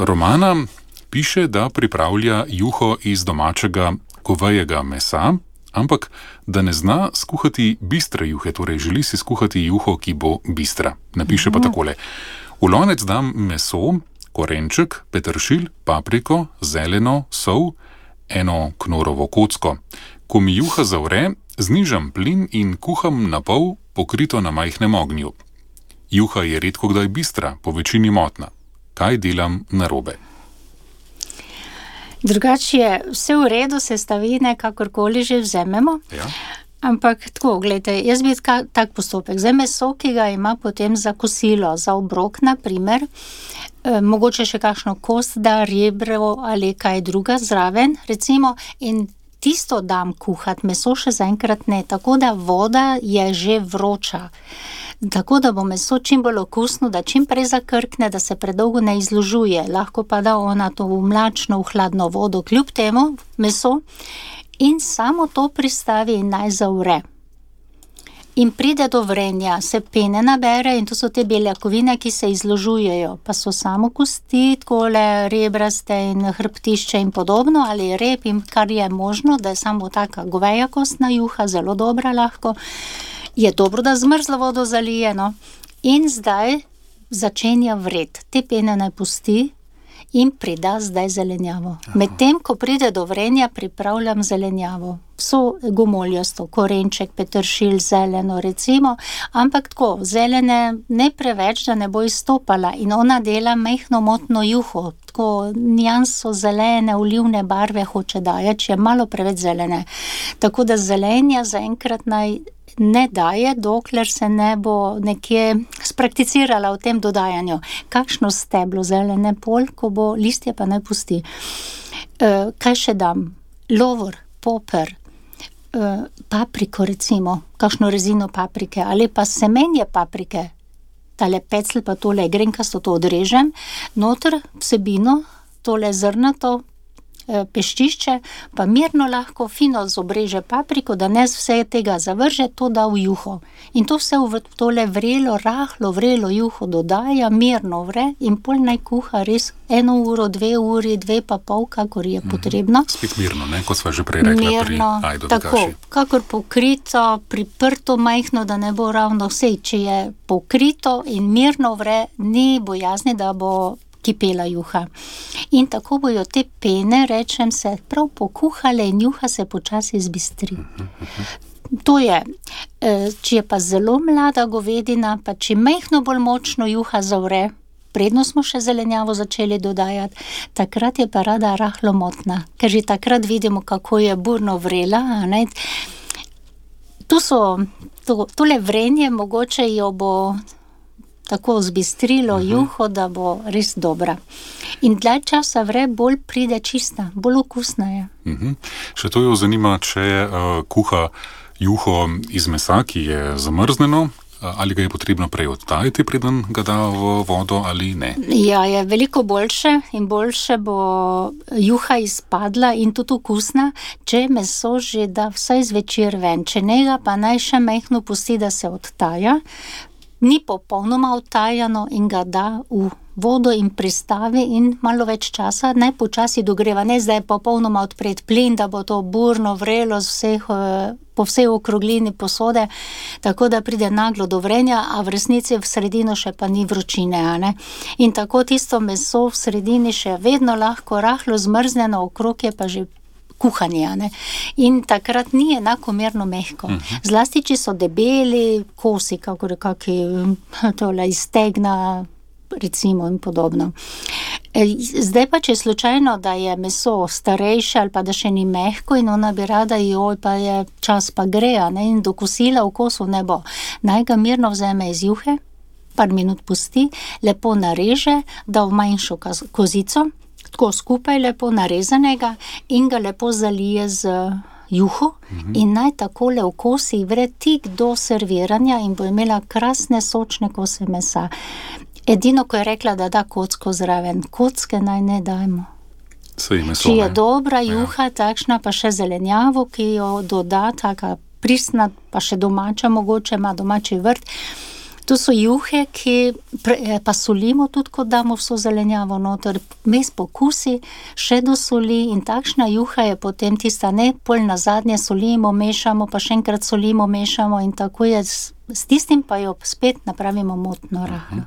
Romana piše, da pripravlja juho iz domačega govejega mesa, ampak da ne zna skuhati bistre juhe, torej želi si skuhati juho, ki bo bistra. Napiše pa takole. V lonec dam meso, korenček, peteršilj, papriko, zeleno, sol, eno knorovo kocko. Ko mi juha zavre, znižam plin in kuham na pol, pokrito na majhnem ognju. Juha je redko kdaj bistra, po večini motna. Kaj delam narobe? Drugače je vse v redu, sestavine, kakorkoli že vzememo. Ja. Ampak tako, gledajte, jaz bi tak postopek. Zdaj meso, ki ga ima potem za kosilo, za obrok, na primer, mogoče še kakšno kost, da rebro ali kaj druga zraven, recimo, in tisto dam kuhat, meso še zaenkrat ne, tako da voda je že vroča. Tako da bo meso čim bolj okusno, da čim prej zakrkne, da se predolgo ne izložuje. Lahko pa da ona to v mlačno, v hladno vodo, kljub temu meso, in samo to pristavi in naj zavre. In pride do vrenja, se pene nabere in to so te beljakovine, ki se izložujejo, pa so samo kosti, takole rebraste in hrbtišče in podobno, ali rep in kar je možno, da je samo taka goveja kostna juha, zelo dobra lahko. Je dobro, da zmrzlo vodo zalije, no. In zdaj začenja vred. Te pene naj pusti in prida zdaj zelenjavo. Medtem, ko pride do vrenja, pripravljam zelenjavo. Vso gomoljasto, korenček, peteršilj, zeleno recimo, ampak tako, zelene ne preveč, da ne bo izstopala in ona dela majhno motno juho, tako nijanso zelene, olivne barve hoče dajati, če je malo preveč zelene. Tako da zelenja zaenkrat naj ne daje, dokler se ne bo nekje sprakticirala v tem dodajanju. Kakšno steblo zelene pol, ko bo listje, pa naj pusti. Kaj še dam? Lovor, poper, papriko recimo, kakšno rezino paprike, ali pa semenje paprike. Tale pecl pa tole grenkasto to odrežem, noter vsebino, tole zrnato, peščišče, pa mirno lahko fino zobreže papriko, da ne vse tega zavrže, to da v juho. In to vse v tole vrelo, rahlo vrelo juho dodaja, mirno vre in pol naj kuha res 1 uro, 2 uri, 2,5, kakor je potrebno. Spet mirno, ne, kot sva že prej rekla mirno, pri ajdovi tako, kaši. kakor pokrito, priprto majhno, da ne bo ravno vse. Če je pokrito in mirno vre, ni bojazni, da bo kipela juha. In tako bojo te pene, rečem se, prav pokuhale in juha se počasi zbistri. To je, če je pa zelo mlada govedina, pa če majhno bolj močno juha zavre, predno smo še zelenjavo začeli dodajati, takrat je pa rada rahlo motna, ker že takrat vidimo, kako je burno vrela, a ne. Tole vrenje mogoče jo bo tako zbistrilo juho, da bo res dobra. In dlje časa vre, bolj pride čista, bolj okusna je. Še to jo zanima, če kuha juho iz mesa, ki je zamrzneno, ali ga je potrebno prej odtajiti, preden ga da v vodo ali ne? Ja, je veliko boljše in boljše bo juha izpadla in tudi okusna, če meso že da vsaj zvečer ven. Če njega pa naj še majhno pusti, da se odtaja, ni popolnoma odtajano in ga da v vodo in pristavi in malo več časa, naj počasi dogreva, ne zdaj popolnoma odpret plin, da bo to burno vrelo po vsej okroglini posode, tako da pride naglo do vrenja, a v resnici v sredino še pa ni vročine, a ne. In tako tisto meso v sredini še vedno lahko rahlo zmrzneno, okrog je pa že kuhanje, ne? In takrat ni enakomerno mehko. Zlasti, če so debeli kosi, kakor kaki tole iz stegna, recimo, in podobno. Zdaj pa, če je slučajno, da je meso starejše ali pa da še ni mehko in ona bi rada, pa je čas pa gre, ne? In do kosila v kosu ne bo. Naj ga mirno vzeme iz juhe, par minut pusti, lepo nareže, da v manjšo kozico, tako skupaj lepo narezanega in ga lepo zalije z juho in naj takole v kosi vre tik do serviranja in bo imela krasne sočne kose mesa. Edino, ko je rekla, da da kocko zraven, kocke naj ne dajmo. Če je dobra juha, takšna pa še zelenjavo, ki jo doda, taka pristna, pa še domača mogoče, ima domači vrt, To so juhe, ki pa solimo tudi, ko damo vso zelenjavo noter, mes pokusi, še do soli in takšna juha je potem tista, ne, pol nazadnje solimo, mešamo, pa še enkrat solimo, mešamo in tako je, s tistim pa jo spet napravimo motno rahlo.